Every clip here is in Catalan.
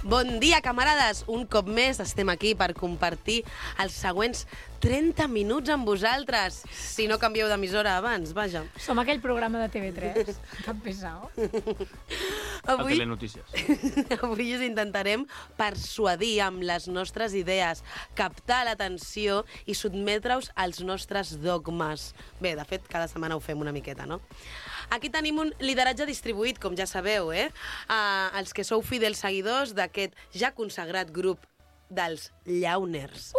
Bon dia, camarades! Un cop més estem aquí per compartir els següents 30 minuts amb vosaltres. Si no canvieu d'emissora abans, vaja. Som aquell programa de TV3, tan pesau. Avui, Telenotícies. avui us intentarem persuadir amb les nostres idees, captar l'atenció i sotmetre-us als nostres dogmes. Bé, de fet, cada setmana ho fem una miqueta, no? Aquí tenim un lideratge distribuït, com ja sabeu, els que sou fidels seguidors d'aquest ja consagrat grup dels llauners,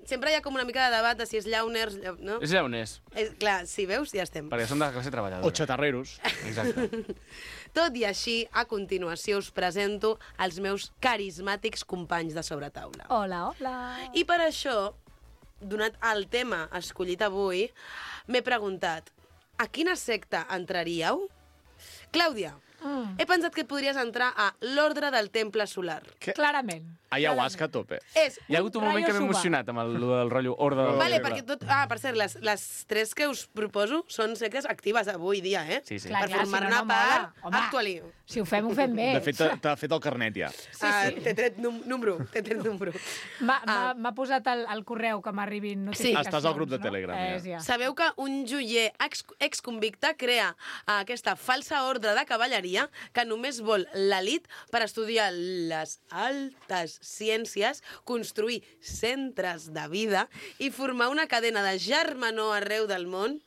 Sempre hi ha com una mica de debat de si és llauners, no? És llauners, Clar, si veus, ja estem. perquè som de classe treballadora. O xatarreros. Exacte. Tot i així, a continuació us presento els meus carismàtics companys de sobretaula. Hola, hola. I per això, donat el tema escollit avui, m'he preguntat, a quina secta entraríeu? Clàudia, he pensat que podries entrar a l'Ordre del Temple Solar. Clarament. Ayahuasca a tope. Hi ha hagut un moment que m'he Rayo emocionat amb el del rotllo ordre del... Vale, perquè per cert, les tres que us proposo són sectes actives avui dia, Sí, sí. Clar, Per clar, formar si no, una no part, mola. Home. actually. Si ho fem bé. De fet, t'ha fet el carnet ja. T'he tret número, M'ha posat el correu que m'arribin notificacions. Estàs al grup de Telegram, ja. Ja. Sabeu que un joier exconvicte crea aquesta falsa ordre de cavalleria que només vol l'elit per estudiar les altes ciències, construir centres de vida i formar una cadena de germanor arreu del món.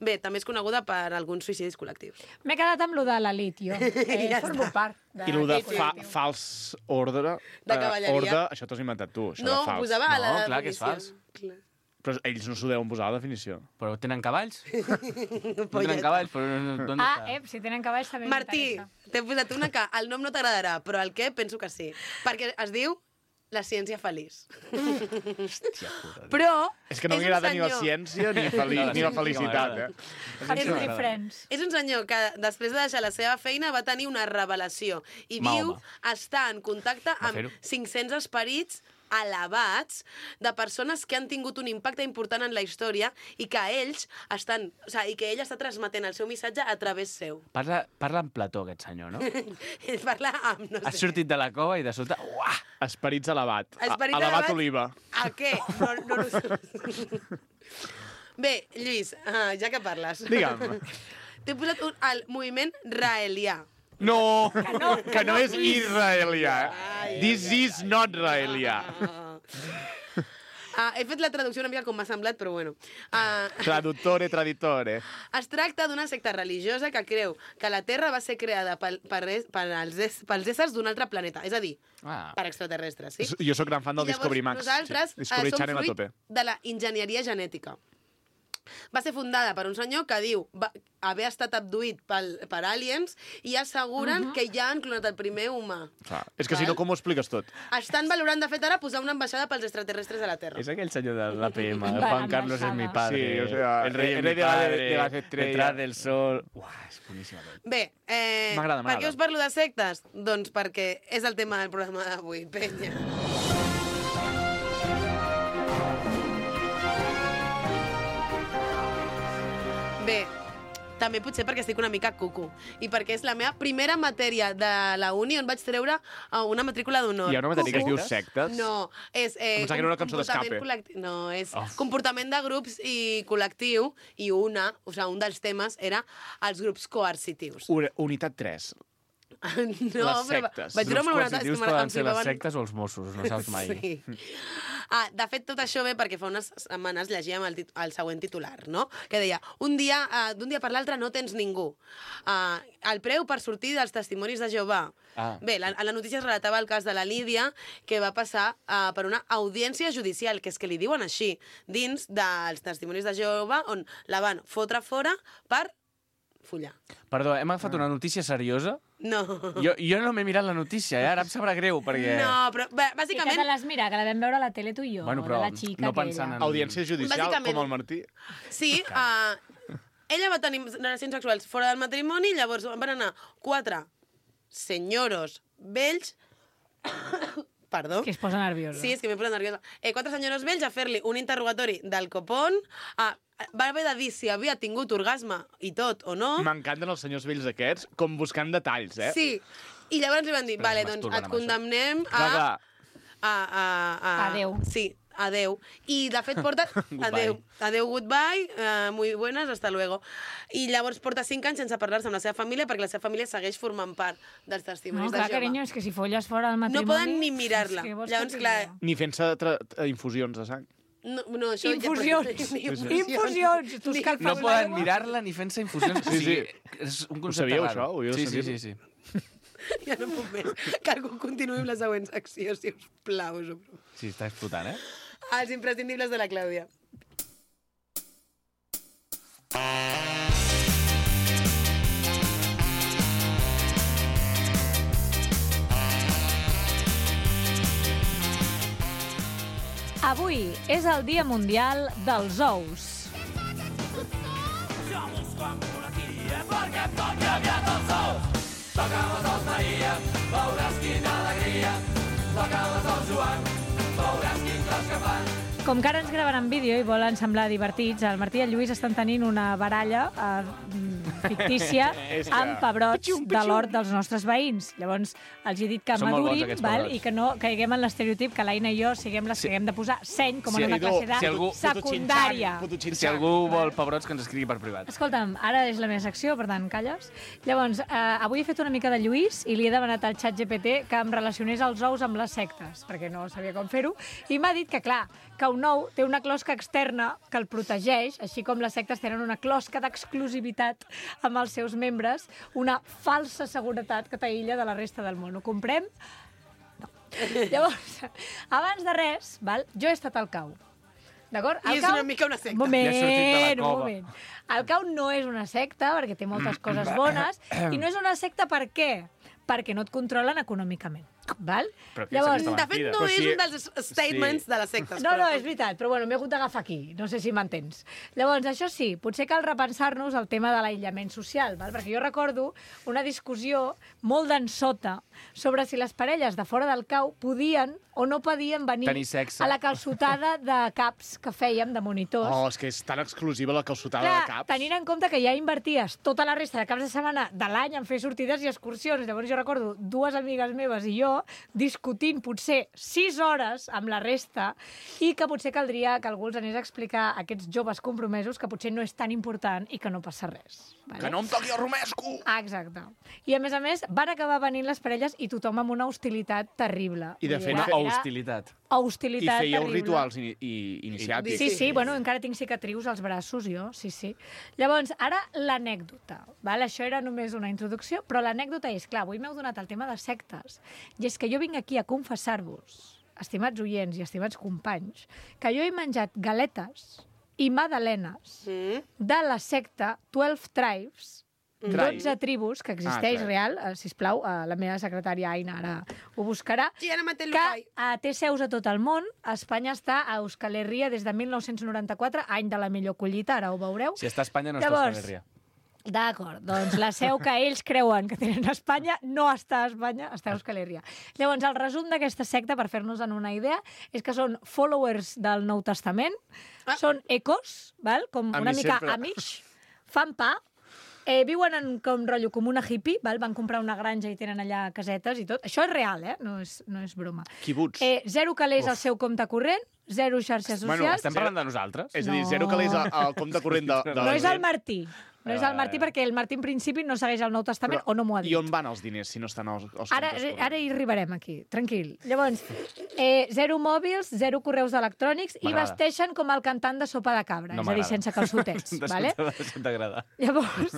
Bé, també és coneguda per alguns suïcidis col·lectius. M'he quedat amb lo de l'elit, jo. Ja Formo està. part. I el de d'aquest fals ordre... De cavalleria. Ordre, això t'ho has inventat tu, això No, de fals. posava a la No, clar que és definició. fals. Clar. Però ells no s'ho deuen posar a la definició. Però tenen cavalls? No Polleta. tenen cavalls, però d'on Ah, està? si tenen cavalls també Martí, m'interessa. t'he posat una que el nom no t'agradarà, però el què penso que sí. Perquè es diu la ciència feliç. Hòstia puta. Però És que no un m'agrada ni la senyor- ciència ni la ciència felicitat, m'agrada. Family Friends. És un senyor que després de deixar la seva feina va tenir una revelació i viu estar en contacte amb fer-ho. 500 esperits elevats de persones que han tingut un impacte important en la història i que ells estan, i que ell està transmetent el seu missatge a través seu. Parla en plató, aquest senyor, no? Ell parla amb, no Has sé... sortit de la cova i de sota... Uah! Esperits elevat. Esperit Elevat elevat. oliva. A què? No sé. Bé, Lluís, ja que parles. Digue'm. T'he posat el moviment raelià. No, que no és israelià. This is not israelià. He fet la traducció una mica com m'ha semblat, però bueno. Traditore. Es tracta d'una secta religiosa que creu que la Terra va ser creada pels éssers d'un altre planeta, és a dir, per extraterrestres, sí? Jo sóc gran fan del I llavors Discovery Max. nosaltres Discovery som Channel a fruit tope. de la enginyeria genètica. Va ser fundada per un senyor que diu haver estat abduït per aliens i asseguren que ja han clonat el primer humà. Clar. És que si no, com ho expliques tot? Estan valorant, de fet, ara posar una ambaixada pels extraterrestres a la Terra. És aquell senyor de l'APM, Va, Juan Carlos es mi padre. Sí, o sea, el rey el es mi rey de la- padre, de las estrellas. detrás del sol... Uah, és boníssima. Bé, M'agrada. per què us parlo de sectes? Doncs perquè és el tema del programa d'avui, penya. Bé, també potser perquè estic una mica cucu i perquè és la meva primera matèria de la uni on vaig treure una matrícula d'honor. Hi ha una matèria que es diu sectes? No, és... Pensava que era una cançó comportament d'escape. col·lectiu. No, és comportament de grups i col·lectiu i un dels temes era els grups coercitius. Unitat 3. No, Les però sectes. vaig treure Grups una nota... coercitius poden ser les sectes o els Mossos, no saps mai. Sí. De fet, tot això ve perquè fa unes setmanes llegíem el següent titular, no? Que deia, d'un dia per l'altre no tens ningú. El preu per sortir dels testimonis de Jehovà. Bé, a la notícia es relatava el cas de la Lídia, que va passar per una audiència judicial, que és que li diuen així, dins dels testimonis de Jehovà, on la van fotre fora per follar. Perdó, hem agafat una notícia seriosa? No. Jo no m'he mirat la notícia, ara em sabrà greu, perquè... No, però I que bàsicament... te l'has mirat, que la vam veure a la tele tu i jo, Bueno, però de la xica no pensant aquella. Audiència judicial, Bàsicament. com el Martí. Sí, ella va tenir relacions sexuals fora del matrimoni, llavors van anar 4 senyoros vells... Perdó. Que es posa nerviosa. Sí, és que m'he posat nerviosa. 4 senyoros vells a fer-li un interrogatori del copón, va haver de dir si havia tingut orgasme i tot o no. M'encanten els senyors vells aquests, com buscant detalls, eh? Sí, I llavors li van dir, vale, doncs et condemnem a... Adéu. Sí, adéu. I, de fet, porta... Adéu, goodbye, muy buenas, hasta luego. I llavors porta 5 anys sense parlar-se amb la seva família perquè la seva família segueix formant part dels testimonis de Jehovà. Clar, carinyo, és que si folles fora del matrimoni... No poden ni mirar-la. Llavors, clar... Ni fent-se infusions de sang. No, això Infusions. Infusions. No poden mirar-la ni fent-se infusions. Sí. És un Ho concepte sabíeu, raro. això? Sí. Ja no puc més. Que algú continuï amb la següent secció, si us plau. Sí, està explotant, eh? Els imprescindibles de la Clàudia. Avui és el Dia Mundial dels Ous. Jo busco ambulancia perquè em toqui aviat els ous. Toca les ous, Maria, veuràs quina alegria. Toca les ous, Joan, veuràs quin cos que fan. Com que ara ens graven en vídeo i volen semblar divertits, el Martí i el Lluís estan tenint una baralla fictícia amb pebrots de l'hort dels nostres veïns. Llavors, els he dit que Són molt bons, madurin, aquests val? pebrots. I que no caiguem en l'estereotip que l'Aina i jo siguem les que haguem de posar seny com en una classe de secundària. Si algú vol pebrots, que ens escrigui per privat. Escolta'm, ara és la meva secció, per tant, calles. Llavors, avui he fet una mica de Lluís i li he demanat al xat GPT que em relacionés els ous amb les sectes, perquè no sabia com fer-ho, i m'ha dit que, clar, que un ou té una closca externa que el protegeix, així com les sectes tenen una closca d'exclusivitat amb els seus membres, una falsa seguretat que t'aïlla de la resta del món. Ho comprem? No. Llavors, abans de res, jo he estat al cau. D'acord? I és una mica una secta. Un Ja ha sortit de la un cova. moment. El cau no és una secta, perquè té moltes coses bones, i no és una secta per què? Perquè no et controlen econòmicament. Val? Però què De és fet, mentida. no Però és si- un dels statements de les sectes. No, és veritat, però bueno, m'he hagut d'agafar aquí, no sé si m'entens. Llavors, això sí, potser cal repensar-nos el tema de l'aïllament social, val? Perquè jo recordo una discussió molt densota sobre si les parelles de fora del cau podien o no podien venir Tenir sexe. a la calçotada de caps que fèiem de monitors. Oh, és que és tan exclusiva la calçotada Clar, de caps. tenint en compte que ja inverties tota la resta de caps de setmana de l'any en fer sortides i excursions. Llavors jo recordo 2 amigues meves i jo discutint potser 6 hores amb la resta i que potser caldria que algú els anés a explicar a aquests joves compromesos que potser no és tan important i que no passa res. Vale? Que no em toqui el romesco! Exacte. I a més, van acabar venint les parelles i tothom amb una hostilitat terrible. I de Vull dir, fet, Una era hostilitat. I hostilitat fèieu terrible. rituals iniciàtics. Sí, bueno, encara tinc cicatrius als braços, jo, sí. Llavors, ara l'anècdota, val? Això era només una introducció, però l'anècdota és, clar, avui m'heu donat el tema de sectes, i és que jo vinc aquí a confessar-vos, estimats oients i estimats companys, que jo he menjat galetes i magdalenes de la secta 12 Tribes, 12 tribus, que existeix Tribes. real, sisplau, la meva secretària Aina ara ho buscarà, Sí, ara mateix que té seus a tot el món. A Espanya està a Euskal Herria des de 1994, any de la millor collita, ara ho veureu. Si està a Espanya, no està a Llavors, Euskal Herria. D'acord, doncs la seu que ells creuen que tenen a Espanya no està a Espanya, està a Euskal Herria. Llavors, el resum d'aquesta secta, per fer-nos en una idea, és que són followers del Nou Testament, són ecos, val? Com una Amish mica sempre. amish, fan pa, viuen en com rotllo com una hippie, val? Van comprar una granja i tenen allà casetes i tot. Això és real, no és broma. Quibuts. 0 calés al seu compte corrent, 0 xarxes Bueno, socials. Estem parlant de nosaltres? És a dir, No. 0 calés al compte corrent de No la és el gent. Martí. No és el Martí perquè el Martí en principi no segueix el Nou Testament o no m'ho ha dit. I on van els diners si no estan als comptes Ara hi arribarem aquí, tranquil. Llavors, 0 mòbils, 0 correus electrònics i M'agrada. vesteixen com el cantant de Sopa de Cabra, No és a dir, m'agrada. sense calçotets. vale? T'agrada. Llavors,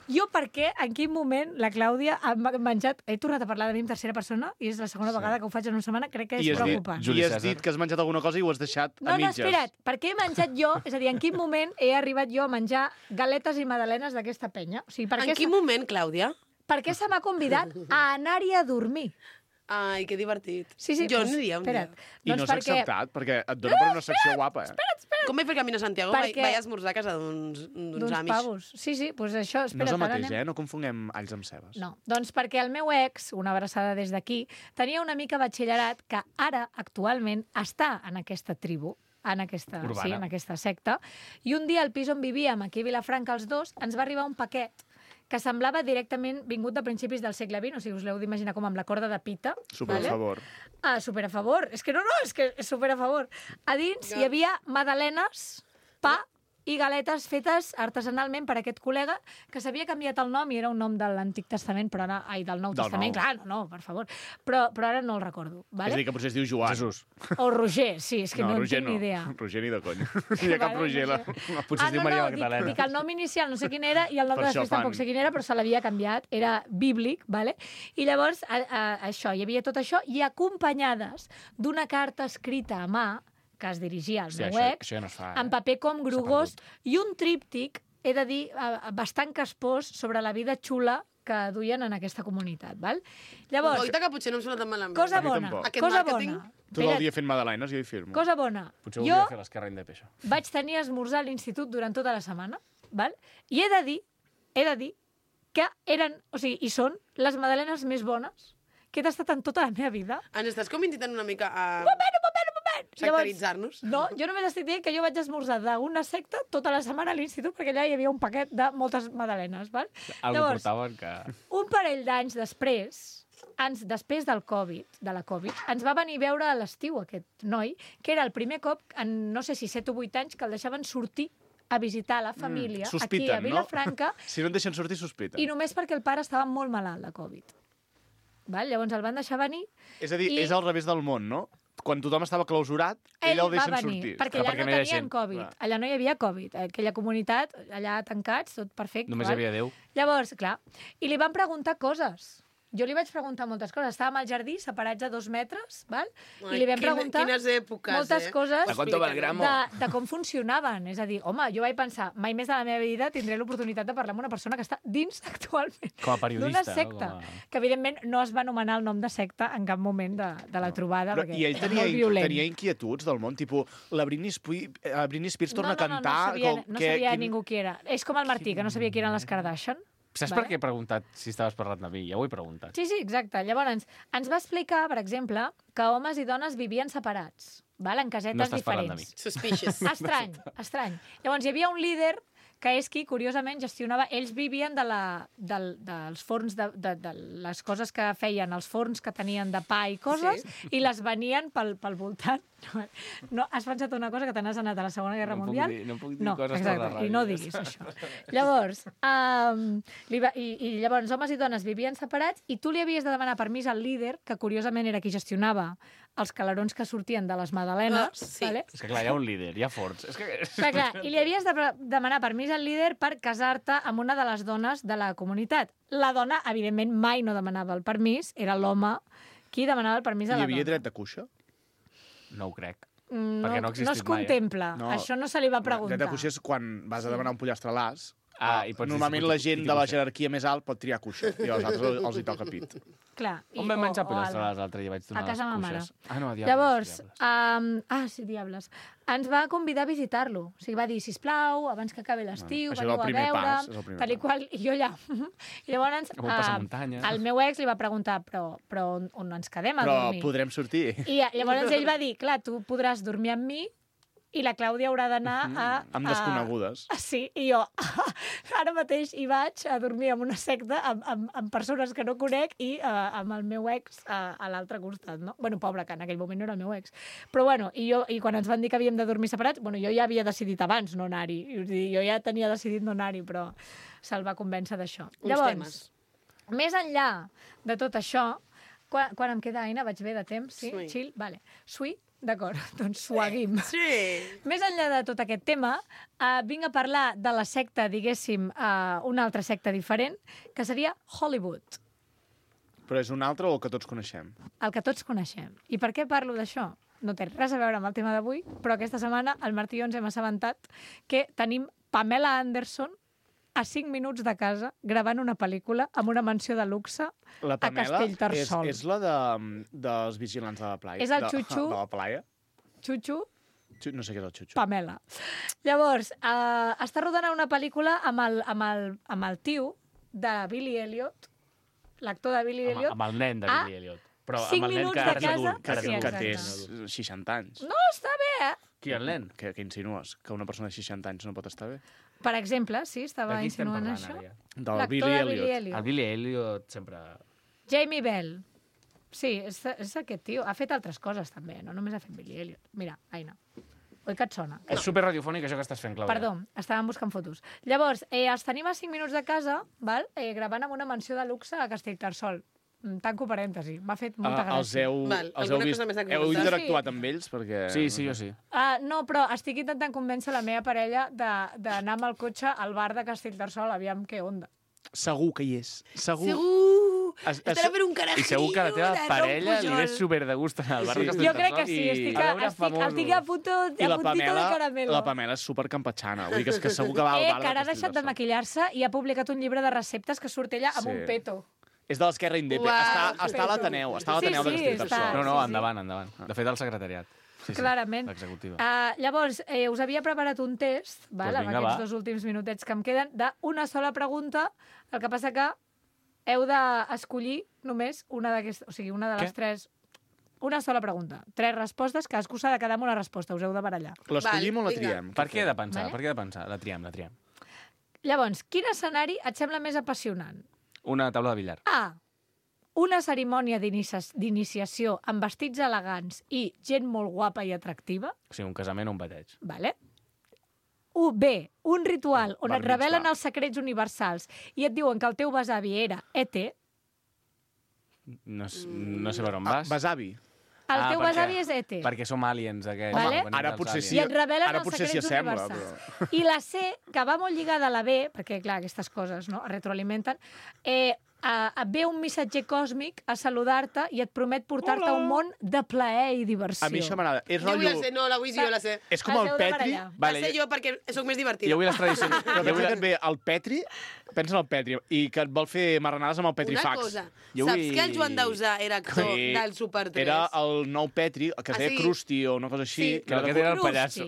jo per què, en quin moment la Clàudia ha menjat... He tornat a parlar de mi en tercera persona i és la segona vegada que ho faig en una setmana, crec que és preocupant. Juli I has Cèsar. dit que has menjat alguna cosa i ho has deixat a No, mitges. espera't, per què he menjat jo? És a dir, en quin moment he arribat jo a menjar galetes i magdalenes d'aquesta penya? O sigui, per En què quin moment, Clàudia? per què se m'ha convidat a anar-hi a dormir? Ai, que divertit. Sí, Jo doncs, aniria un dia. espera't. I no s'ha acceptat, perquè et dona per una secció guapa, Com vaig fer camí a Santiago? Perquè- Vaig esmorzar a casa d'uns D'uns amics. pavos. Sí, doncs això, No és espera't, el ara mateix, anem. No confonguem alls amb cebes. No, doncs perquè el meu ex, una abraçada des d'aquí, tenia una mica batxillerat que ara, actualment, està en aquesta tribu, en aquesta secta, i un dia al pis on vivíem, aquí a Vilafranca, els dos, ens va arribar un paquet que semblava directament vingut de principis del segle XX, o sigui, us l'heu d'imaginar com amb la corda de pita. Super a favor. Ah, super a favor. És que és que és super a favor. A dins hi havia magdalenes, pa i galetes fetes artesanalment per aquest col·lega que s'havia canviat el nom i era un nom de l'Antic Testament, però ara... Ai, del Nou Testament, clar, no, per favor. Però ara no el recordo. Vale? És a dir, que potser es diu Joan. Jesús. O Roger, sí, és que no en Roger tinc ni idea. Roger ni de conya. No hi ha cap Roger. Potser es diu Maria Magdalena. Dic el nom inicial no sé quin era i el nom Per de això després tampoc sé quin era, però se l'havia canviat, era bíblic, vale? I llavors, això, hi havia tot això, i acompanyades d'una carta escrita a mà, que es dirigia al meu ex, això ja no es fa, en paper com grogós, i un tríptic, he de dir, bastant caspós sobre la vida xula que duien en aquesta comunitat, val? Llavors, Oita, que potser no em sona tan malament. cosa A mi bona, tampoc. Aquest cosa màrqueting. bona. Tot el Espera't, dia fent magdalenes, jo hi firmo. cosa bona. Potser ho Jo hauria de fer l'esquerra indep, això. vaig tenir esmorzar a l'institut durant tota la setmana, val? I he de dir que eren, o sigui, i són les magdalenes més bones que he tastat en tota la meva vida. Ens estàs com intentant una mica a Un moment! sectaritzar-nos? No, jo només estic dient que jo vaig esmorzar d'una secta tota la setmana a l'institut perquè allà hi havia un paquet de moltes magdalenes, val? Algo portaven que... Un parell d'anys després, després del Covid, de la Covid, ens va venir a veure a l'estiu aquest noi, que era el primer cop, en no sé si 7 o 8 anys, que el deixaven sortir a visitar la família aquí Sospiten, a Vilafranca no? Si no et deixen sortir, sospiten. i només perquè el pare estava molt malalt de Covid. Val? Llavors el van deixar venir. És a dir, i- és al revés del món, no? Quan tothom estava clausurat, ell el va deixen venir, sortir. perquè Clar, allà perquè no no hi ha tenien gent. Covid. Clar. Allà no hi havia Covid. Aquella comunitat, allà tancats, tot perfecte. Només val? hi havia Déu. Llavors, clar, i li van preguntar coses. Jo li vaig preguntar moltes coses. Estàvem al jardí, separats a 2 metres, val? I li vam preguntar Quines èpoques, moltes coses ¿A cuánto va el gramo? de com funcionaven. És a dir, home, jo vaig pensar, mai més de la meva vida tindré l'oportunitat de parlar amb una persona que està dins actualment Com a periodista, d'una secta. no? Com a- Que, evidentment, no es va anomenar el nom de secta en cap moment de la trobada, Però, perquè I ell era tenia, molt violent. tenia inquietuds del món, tipus, la Britney Spears torna a cantar... No sabia, com, no sabia ningú qui era. És com el Martí, que no sabia qui eren les Kardashian. Saps Vale. per què he preguntat si estaves parlant de mi? Ja ho he preguntat. Sí, sí, exacte. Llavors, ens va explicar, per exemple, que homes i dones vivien separats, val? En casetes No estàs parlant de diferents. Suspicious. Estrany. Llavors, hi havia un líder que és qui, curiosament, gestionava... Ells vivien dels forns, de les coses que feien, els forns que tenien de pa i coses, i les venien pel voltant. No, has pensat una cosa que te n'has anat a la Segona Guerra No puc Mundial? dir- no puc dir coses per la ràdio. i no diguis això. Llavors, i llavors, homes i dones vivien separats i tu li havies de demanar permís al líder, que curiosament era qui gestionava els calarons que sortien de les magdalenes. Sí. Vale? És que clar, hi ha un líder, hi ha forts. És que... Clar, i li havies de demanar permís al líder per casar-te amb una de les dones de la comunitat. La dona, evidentment, mai no demanava el permís, era l'home qui demanava el permís a Hi la havia dona. dret de cuixa? No ho crec. No, perquè no ha existit es mai, eh? contempla. No. Això no se li va preguntar. Dret de cuixa és quan vas a demanar un pollastre a l'as. Ah, i pots dir Normalment si la pot- gent i de la cuixa. jerarquia més alt pot triar cuixa i als altres els hi toca pit. Clar. On vam menjar o pollastre ala. l'altre dia? Vaig donar A casa les ma mare. cuixes. Ah, no, a Diables. Llavors, sí, Diables. Ens va convidar a visitar-lo. O sigui, va dir, sisplau, abans que acabi l'estiu, Això és el veniu a primer veure... pas, és el primer tal i pas. qual, i jo allà... I llavors, Com un passamuntanya. el meu ex li va preguntar, però on ens quedem a Però dormir? podrem sortir. I llavors ell va dir, clar, tu podràs dormir amb mi i la Clàudia haurà d'anar a... Amb desconegudes. Sí, i jo ara mateix hi vaig a dormir en una secta amb persones que no conec i amb el meu ex a l'altre costat, no? Bueno, pobre, que en aquell moment no era el meu ex. Però bueno, i quan ens van dir que havíem de dormir separats, bueno, jo ja havia decidit abans no anar-hi. Jo ja tenia decidit no anar-hi, però se'l va convèncer d'això. Temes. Més enllà de tot això, quan em queda, Aina, vaig bé de temps? Sí? Sí. Chill? Vale. Sui? D'acord, doncs suaguim. Sí. Més enllà de tot aquest tema, vinc a parlar de la secta, diguéssim, una altra secta diferent, que seria Hollywood, Però és un altre o el que tots coneixem? el que tots coneixem. I per què parlo d'això? No té res a veure amb el tema d'avui, però aquesta setmana el Martí i jo ens hem assabentat que tenim Pamela Anderson a 5 minuts de casa gravant una pel·lícula amb una mansió de luxe La a Pamela Castellterçol. és la dels vigilants de la playa. És el Xuxu. De la playa. Xuxu, No sé què és el Xuxu. Pamela. Llavors, està rodant una pel·lícula amb el tio de Billy Elliot, l'actor de Billy Elliot. Amb el nen de Billy Elliot. Però 5 amb el nen minuts que de ara és casa. adult. Que, Sí, que exacte. té 60 anys. No, està bé, eh? Qui, el nen? Què insinues? Que una persona de 60 anys no pot estar bé? Per exemple, sí, estava De qui estem insinuant parlant, això. ara, ja? Del L'actor Billy de Elliot. El Billy Elliot sempre... Jamie Bell. Sí, és aquest tio. Ha fet altres coses, també. No només ha fet Billy Elliot. Mira, Aina. Oi que et sona? És superradiofònic, això que estàs fent, Clàudia. Perdó, estàvem buscant fotos. Llavors, els tenim a 5 minuts de casa, val? Gravant amb una mansió de luxe a Castellterçol. Tanco parèntesi. M'ha fet molta gràcia. Val, els alguna heu vist? cosa més a Heu comentar? interactuat amb ells? Perquè... Sí, jo sí. No, però estic intentant convèncer la meva parella d'anar amb el cotxe al bar de Castellterçol, aviam què onda. Segur que hi és. Segur. Estarà per un carajillo. I segur que a la teva de parella li Pujol. ve super de gust anar al bar de Jo Castellterçol. crec que sí, estic a puntito de caramelo. La Pamela és supercampatxana. Vull dir que segur que va al bar Que ara ha deixat de maquillar-se i ha publicat un llibre de receptes que surt ella amb Sí. un peto. És de l'Esquerra Indepe. Uau, Està a l'Ateneu. Està a l'Ateneu Sí, de sí, Castellterçol. No, sí. endavant. De fet, el secretariat. Sí, Clarament. l'executiva. Llavors, us havia preparat un test, val, amb vinga, aquests va. 2 últims minutets que em queden, d'una sola pregunta. El que passa que heu d'escollir només una d'aquestes, o sigui, una de les Què? 3... Una sola pregunta. 3 respostes, cadascú s'ha de quedar amb una resposta, us heu de barallar. L'escollim o la Val, vinga. triem? Per què he de pensar? Vale. Per què he de pensar? La triem. Llavors, quin escenari et sembla més apassionant? Una taula de billar. A. Una cerimònia d'iniciació amb vestits elegants i gent molt guapa i atractiva. O sigui, un casament o un bateig. Vale. B. Un ritual on Bar et revelen mitzvah. els secrets universals i et diuen que el teu besavi era ET. No sé per on vas. Besavi. El teu perquè- besavi és ET. Perquè som aliens, aquests. Vale. Venim Ara dels potser aliens. sí. I et revelen Ara els potser s'hi secrets assembla, universals. I la C, que va molt lligada a la B, perquè, clar, aquestes coses no, es retroalimenten, et ve un missatger còsmic a saludar-te i et promet portar-te a un món de plaer i diversió. A mi això m'agrada. És Jo vull la rotllo... sé, no, la vull jo la sé. És com Els el heu de Petri. barallar. Vale, La sé jo perquè sóc més divertida. Jo vull les tradicions. Però pensa que et ve el Petri, pensa en el Petri, i que et vol fer marranades amb el Una Petrifax. cosa, Jo saps vull- que el Joan Dausà era actor Sí. del Super 3? Era el nou Petri, que es Ah, deia sí? Krusty o una cosa així. Sí. Que aquest era el Crusti. pallasso.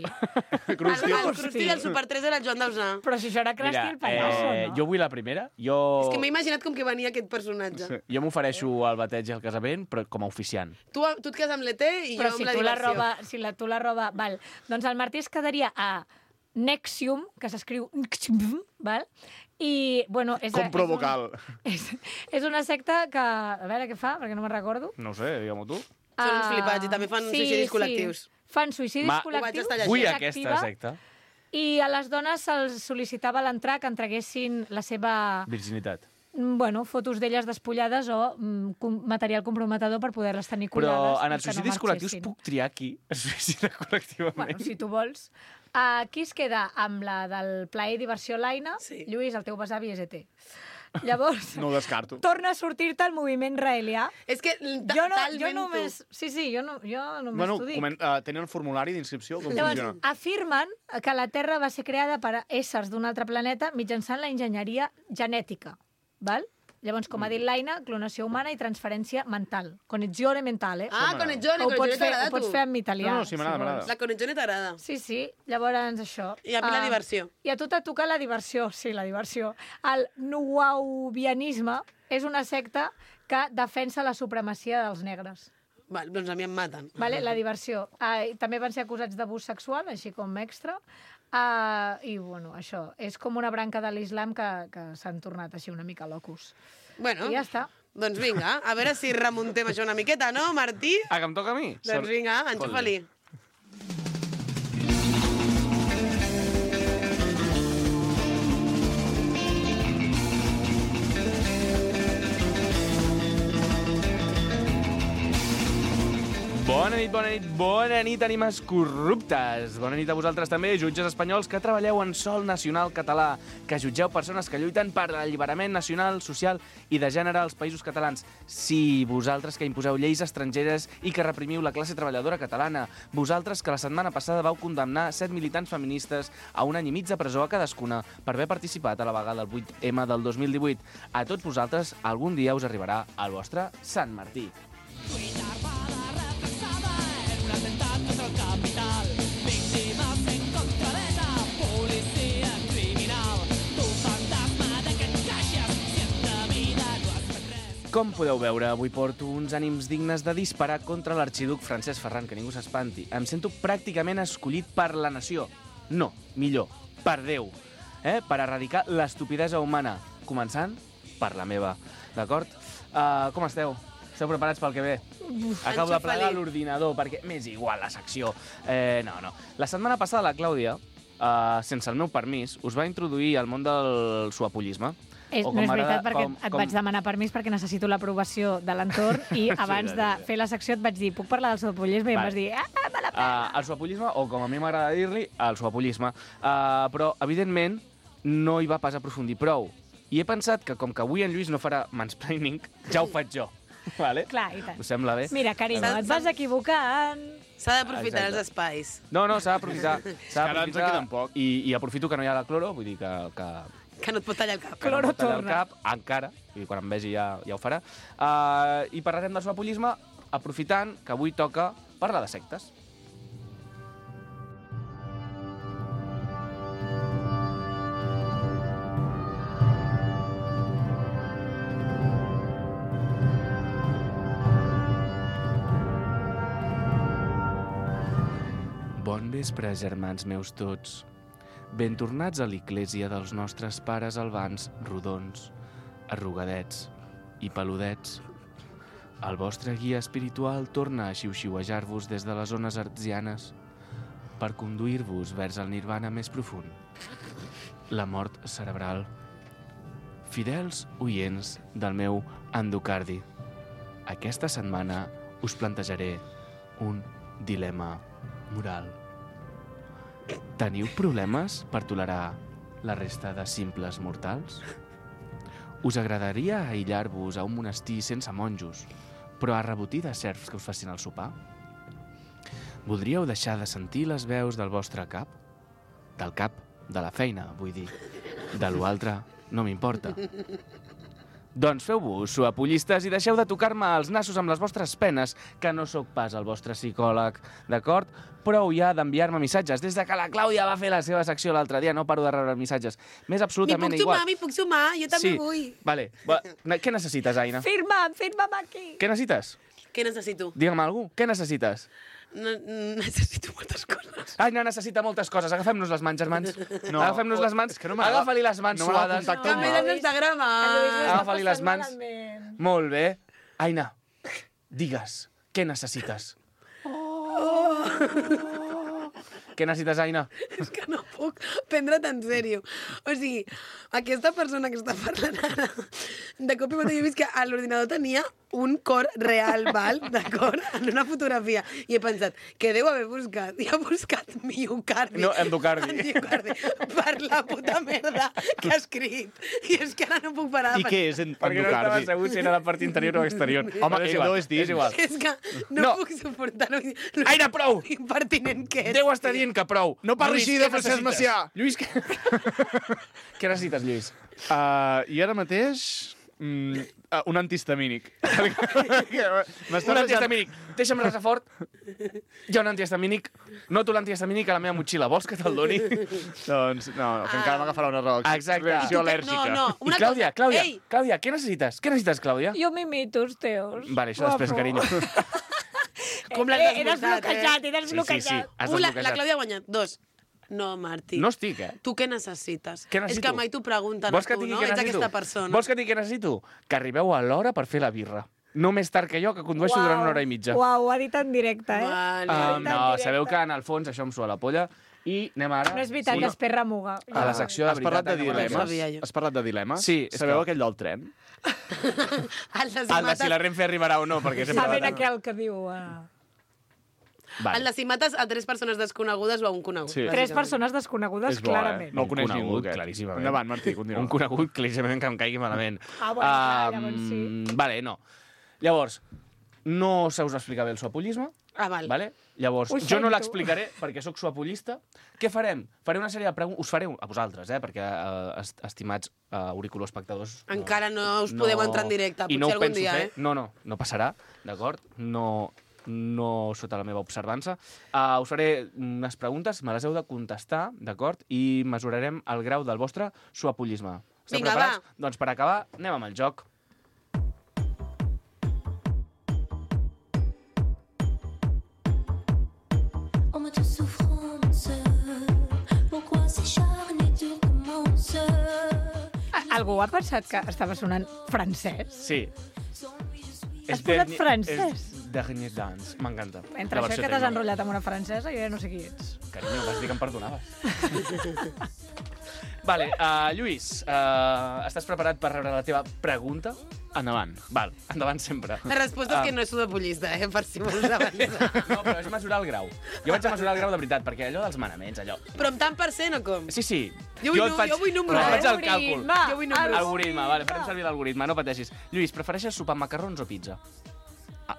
Krusty. El Krusty del Super 3 era el Joan Dausà. Però si això era Krusty Mira, el pallasso, no? jo vull la primera. Jo... És que m'he imaginat com que venia aquest personatge. Sí. Jo m'ofereixo al bateig i al casament, però com a oficiant. Tu et quedes amb l'ET i Però jo si amb la tu la diversió. roba... tu la roba... Val. Doncs el Martí es quedaria a Nexium, que s'escriu Nexium, val? I, bueno... Com provocal. És una secta que... A veure què fa, perquè no me'n recordo. No ho sé, digue-m'ho tu. Són uns flipats i també fan suïcidis col·lectius. Fan suïcidis Ma- Ho vaig col·lectius. estar llegint. Vull és aquesta activa, secta. I a les dones se'ls sol·licitava a l'entrar que entreguessin la seva... Virginitat. Bueno, fotos d'elles despullades o material comprometedor per poder-les tenir Però cuidades. en i els que no suïcidis col·lectius marxessin. puc triar qui es suïcida col·lectivament. Bueno, si tu vols. Qui es queda amb la del plaer i diversió l'Aina? Sí. Lluís, el teu besavi és ET. Llavors, No ho descarto. torna a sortir-te el moviment raelià. És que Jo només... Sí, jo només Bueno, t'ho dic. tenen un formulari d'inscripció? Com Llavors, funciona? afirmen que la Terra va ser creada per éssers d'un altre planeta mitjançant la enginyeria genètica. Val? Llavors, com ha dit l'Aina, clonació humana i transferència mental. Connexione mentale. Ah, conegione, Ho pots conegione fer, t'agrada, ho pots tu. fer en italià. No, sí, m'agrada, si vols. m'agrada. La conegione t'agrada. Sí, sí. Llavors, això. I a mi la diversió. I a tu t'ha tocat la diversió, sí, la diversió. El nuaubianisme és una secta que defensa la supremacia dels negres. Val, doncs a mi em maten. Vale? La diversió. També van ser acusats d'abús sexual, així com extra. I, bueno, això. És com una branca de l'islam que s'han tornat així una mica locus. Bueno, I ja està. doncs vinga, a veure si remuntem això una miqueta, no, Martí? Ah, que em toca a mi? Doncs vinga, enxufa-li. Bona nit, ànimes corruptes. Bona nit a vosaltres també, jutges espanyols que treballeu en sol nacional català, que jutgeu persones que lluiten per l'alliberament nacional, social i de gènere als països catalans. Sí, vosaltres que imposeu lleis estrangeres i que reprimiu la classe treballadora catalana. Vosaltres que la setmana passada vau condemnar 7 militants feministes a un any i mig de presó a cadascuna per haver participat a la vaga del 8M del 2018. A tots vosaltres, algun dia us arribarà el vostre Sant Martí. Com podeu veure, avui porto uns ànims dignes de disparar contra l'arxiduc Francesc Ferran, que ningú s'espanti. Em sento pràcticament escollit per la nació. No, millor, per Déu. per erradicar l'estupidesa humana, començant per la meva, d'acord? Com esteu? Esteu preparats pel que ve? Acabo de plegar l'ordinador, perquè m'és igual la secció. No. La setmana passada la Clàudia, sense el meu permís, us va introduir al món del suapollisme. No és veritat, perquè et vaig demanar permís perquè necessito l'aprovació de l'entorn i abans de fer la secció et vaig dir, puc parlar del suapollisme? I em vas dir, me la pela. El suapollisme, o com a mi m'agrada dir-li, el suapollisme. Però, evidentment, no hi va pas aprofundir prou. I he pensat que, com que avui en Lluís no farà mansplaining, ja ho faig jo. Vale? Clar, i tant. Us sembla bé? Mira, carinyo, et vas equivocant. S'ha d'aprofitar els espais. No, s'ha d'aprofitar. Ara ens en queden poc. I aprofito que no hi ha la cloro, vull dir Que no et pot tallar el cap. Cloro torna. el cap, encara, i quan em vegi ja ho farà. I parlarem del suapollisme aprofitant que avui toca parlar de sectes. Bon vespre, germans meus tots. Ben tornats a l'església dels nostres pares albans, rodons, arrugadets i peludets. El vostre guia espiritual torna a xiu-xiuejar-vos des de les zones artesianes per conduir-vos vers el nirvana més profund, la mort cerebral. Fidels oients del meu endocardi, aquesta setmana us plantejaré un dilema moral. Teniu problemes per tolerar la resta de simples mortals? Us agradaria aïllar-vos a un monestir sense monjos, però a rebotir de serfs que us facin el sopar? Voldríeu deixar de sentir les veus del vostre cap? Del cap, de la feina, vull dir. De l'altre, no m'importa. Doncs feu-vos suapollistes i deixeu de tocar-me els nassos amb les vostres penes, que no sóc pas el vostre psicòleg, d'acord? Prou ja d'enviar-me missatges. Des de que la Clàudia va fer la seva secció l'altre dia, no paro de rebre missatges. M'és absolutament igual. M'hi puc sumar, jo també vull. Vale. Què necessites, Aina? Firma'm aquí. Què necessites? Què necessito? Digue'm alguna cosa. Què necessites? Necessito moltes coses. Aina necessita moltes coses. Agafem-nos les mans, germans. No, Agafem-nos les mans. és que no m'agrada. Agafa-li les mans No m'agrada suades. contactar També en Instagram. Agafa-li les mans. Molt bé. Aina, digues, què necessites? Què necessites, Aina? És que no puc prendre't en sèrio. O sigui, aquesta persona que està parlant ara, de cop i volta jo he vist que a l'ordinador tenia un cor real, val? D'acord? En una fotografia. I he pensat, què deu haver buscat? I ha buscat miocardi. No, endocardi. Endocardi. Per la puta merda que ha escrit. I és que ara no puc parar de I què és Perquè no estava endocardi? segur si era la part interior o exterior. Home, és igual, és dins. és igual. És que no puc suportar-ho. Aina, prou! Impertinent que és. Deu estar dient que prou. No parli Lluís, així de què Francesc necessites? Macià. Lluís, què necessites, Lluís? I ara mateix... un antihistamínic. Un antihistamínic. Deixa'm res fort. Hi ha un antihistamínic. Noto l'antihistamínic a la meva motxilla. Vols que te'l doni? Doncs no, que encara m'agafarà una Exacte. reacció No, al·lèrgica. no, I una Clàudia, cosa. Ei, Clàudia, què necessites? Què necessites, Clàudia? Jo m'imito els teus. Vale, això després, carinyo. com l'has He desbloquejat, he desbloquejat. Has La desbloquejat. Clàudia ha guanyat. 2. No, Martí. No estic, Tu què necessites? Què necessito? És que mai t'ho pregunten Vols a que tu, et digui no? què Ets necessito? aquesta persona. Vols que et digui què necessito? Que arribeu a l'hora per fer la birra. No més tard que jo, que condueixo durant una hora i mitja. Uau, ho ha dit en directe, eh? Vale. No, sabeu que en el fons això em sua la polla. I anem ara... No és veritat, després remuga. A la secció de Has parlat de veritat. No ho dilemes? sabia jo. Has parlat de dilemes? Sí, és Sabeu que- aquell del tren? El de El de si la Renfe arribarà o no, perquè sempre... Saben aquell que diu... Vale. El de si mates a 3 persones desconegudes o a un conegut. Sí. 3 persones desconegudes, És bo, clarament. No el coneix Un ningú, conegut, aquest. claríssimament. Endavant, Martí, continua. Un conegut, claríssimament, que em caigui malament. Ah, bueno, clar, llavors sí. Vale, no. Llavors, no se us explica bé el suapollisme, Ah, val. vale? Llavors, Ho jo no sento. l'explicaré perquè sóc suapollista. Què farem? Faré una sèrie de preguntes... Us faré a vosaltres, perquè, estimats auriculoespectadors... Encara no us podem entrar en directe, i no potser ho algun penso dia, fer. eh? No passarà, d'acord? No sota la meva observança. Us faré unes preguntes, me les heu de contestar, d'acord? I mesurarem el grau del vostre suapollisme. Esteu Vinga, preparats? va. Doncs per acabar, anem amb el joc. En mode souffrance, pourquoi s'acharner dur commence? Algú ha pensat que estava sonant francès? Sí. Has posat francès? És Dernier Dance. M'encanta. Entre això que t'has enrotllat amb una francesa, jo ja no sé qui ets. Carinyo, vas dir que em perdonaves. Vale, Lluís, estàs preparat per rebre la teva pregunta? Endavant. Val, endavant sempre. La resposta és que no és sudapollista, per si vols avançar. No, però és mesurar el grau. Jo vaig a mesurar el grau de veritat, perquè allò dels manaments, allò... Però amb tant per cent o com? Sí, sí. Jo vull número, Però faig el càlcul. Jo vull número. Algoritme, vale, farem servir l'algoritme, no pateixis. Lluís, prefereixes sopar amb macarrons o pizza?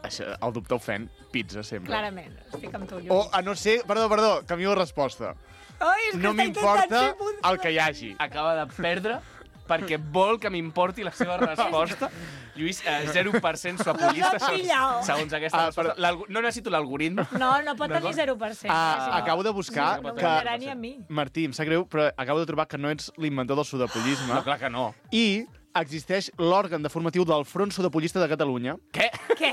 El dubte ofèn, pizza sempre. Clarament, estic amb tu, Lluís. O, a no ser... Perdó, canvio de resposta. Ai, és que No està m'importa intentant ser el que hi hagi. Acaba de perdre perquè vol que m'importi la seva resposta. Lluís, 0% suapollista Nos has pillado. segons aquesta resposta. No necessito l'algoritme. No pot tenir 0%. Acabo de buscar No que... m'agradarà ni a mi. Martí, em sap greu, però acabo de trobar que no ets l'inventor del sudapollisme. No, clar que no. I existeix l'òrgan de formatiu del Front Sudapollista de Catalunya. Què? Què?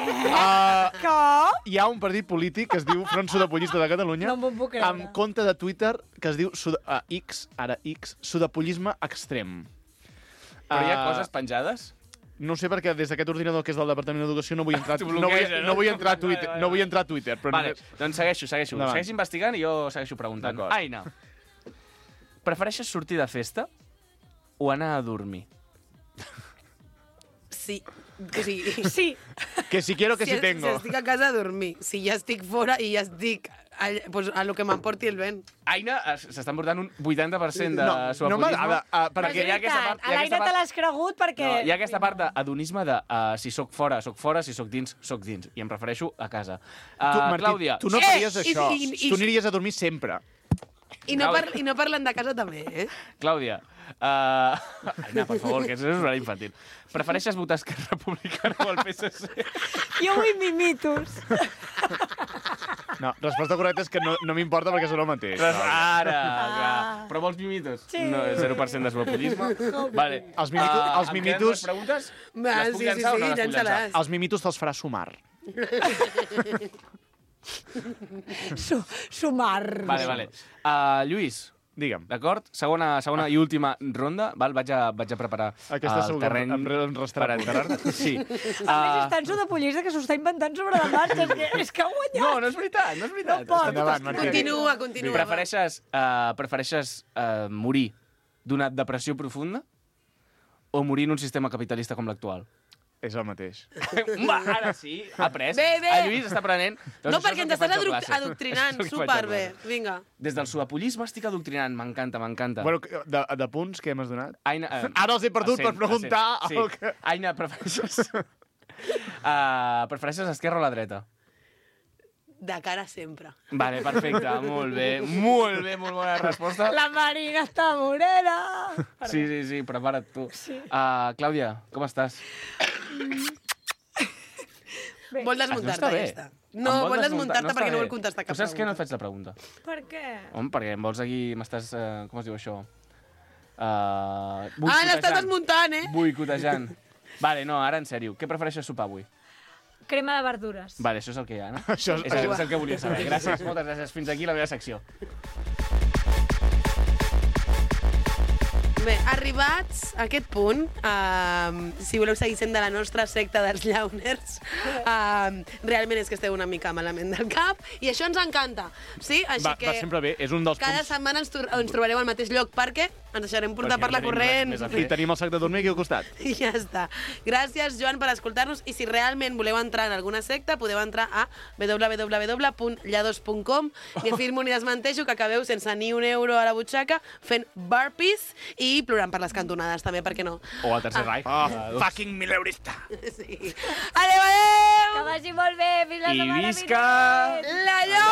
Com? Hi ha un partit polític que es diu Front Sudapollista de Catalunya No m'ho puc creure. amb compte de Twitter que es diu X, Sudapollisme Extrem. Però hi ha coses penjades? No sé perquè des d'aquest ordinador que és del Departament d'Educació no vull entrar, T'ho bloqueja, no? no vull entrar a Twitter, Vale. no vull entrar a Twitter, però Vale, només... doncs segueixo. Endavant. Segueix investigant i jo segueixo preguntant. D'acord. Aina, prefereixes sortir de festa o anar a dormir? Sí. Sí. Sí. Que si quiero que si Si tengo. estic a casa a dormir. Si ja estic fora i ja estic pues, a lo que m'emporti el vent. Aina, s'està emportant un 80% de No suapolisme. m'agrada, Però perquè és veritat, a l'Aina te l'has cregut perquè... No, hi ha aquesta part d'adonisme de si sóc fora, si sóc dins, sóc dins. I em prefereixo a casa. Martí, Clàudia, tu no faries això. i- Tu aniries a dormir sempre. I no parlen de casa també, eh? Clàudia, Aina, per favor, que això és horari infantil. Prefereixes votar Esquerra Republicana o el PSC? Jo vull mimitos. No, resposta correcta és que no m'importa perquè són el mateix. Ara, clar. Però vols mimitos? Sí. No, 0% de suapolisme. Vale. Els Em queden mimitos... dues preguntes? Va, Les puc sí, llançar o no les puc llança-les. llançar? Els mimitos te'ls farà sumar. Sumar. Vale. Lluís, Digue'm. d'acord? Segona i última ronda. Val? Vaig a preparar Aquesta el segur terreny que em restarà per enterrar-te. Sí. A més, és tan sudapollista que s'ho està inventant sobre la marxa. És que ha guanyat. No és veritat, no és veritat. No pot. Endavant, Martí. Continua. Prefereixes morir d'una depressió profunda o morir en un sistema capitalista com l'actual? És el mateix. Va, ara sí, ha après. Bé. El Lluís està aprenent. Doncs No, això perquè és el ens que estàs faig a classe. adoctrinant. Això és el que faig a Superbé. classe. Vinga. Des del suapollisme estic adoctrinant. M'encanta. Bueno, de punts que m'has donat? Aina, Ara els he perdut per preguntar Sí. el que... Aina, prefereixes esquerra o la dreta? De cara sempre. Vale, perfecte, molt bé, molt bona resposta. La Marina està morena. Sí, prepara't tu. Sí. Clàudia, com estàs? Vol desmuntar-te, ja està. No, vol desmuntar-te perquè no vol contestar cap pregunta. Saps què no et pregunta. faig la pregunta? Per què? Home, perquè em vols aquí... M'estàs... com es diu això? l'estàs desmuntant, eh? Boicotejant. Vale, no, ara en sèrio. Què prefereixes sopar avui? Crema de verdures. Vale, això és el que hi ha, no? Això és el que volia saber. Gràcies, moltes gràcies. Fins aquí la meva secció. Bé, arribats a aquest punt, si voleu seguir sent de la nostra secta dels llauners, realment és que esteu una mica malament del cap, i això ens encanta. Sí? Així Va sempre bé, és un dels cada punts... setmana ens trobareu al mateix lloc perquè ens deixarem portar per la corrent. I tenim el sac de dormir aquí al costat. I ja està. Gràcies, Joan, per escoltar-nos. I si realment voleu entrar en alguna secta, podeu entrar a www.llados.com i afirmo ni desmenteixo que acabeu sense ni un euro a la butxaca fent burpees i plorant per les cantonades, també, per què no? O al Tercer Reich. Fucking mileurista! Sí. Adéu! Que vagi molt bé. Fins la I setmana visca... vinent. La Llosa!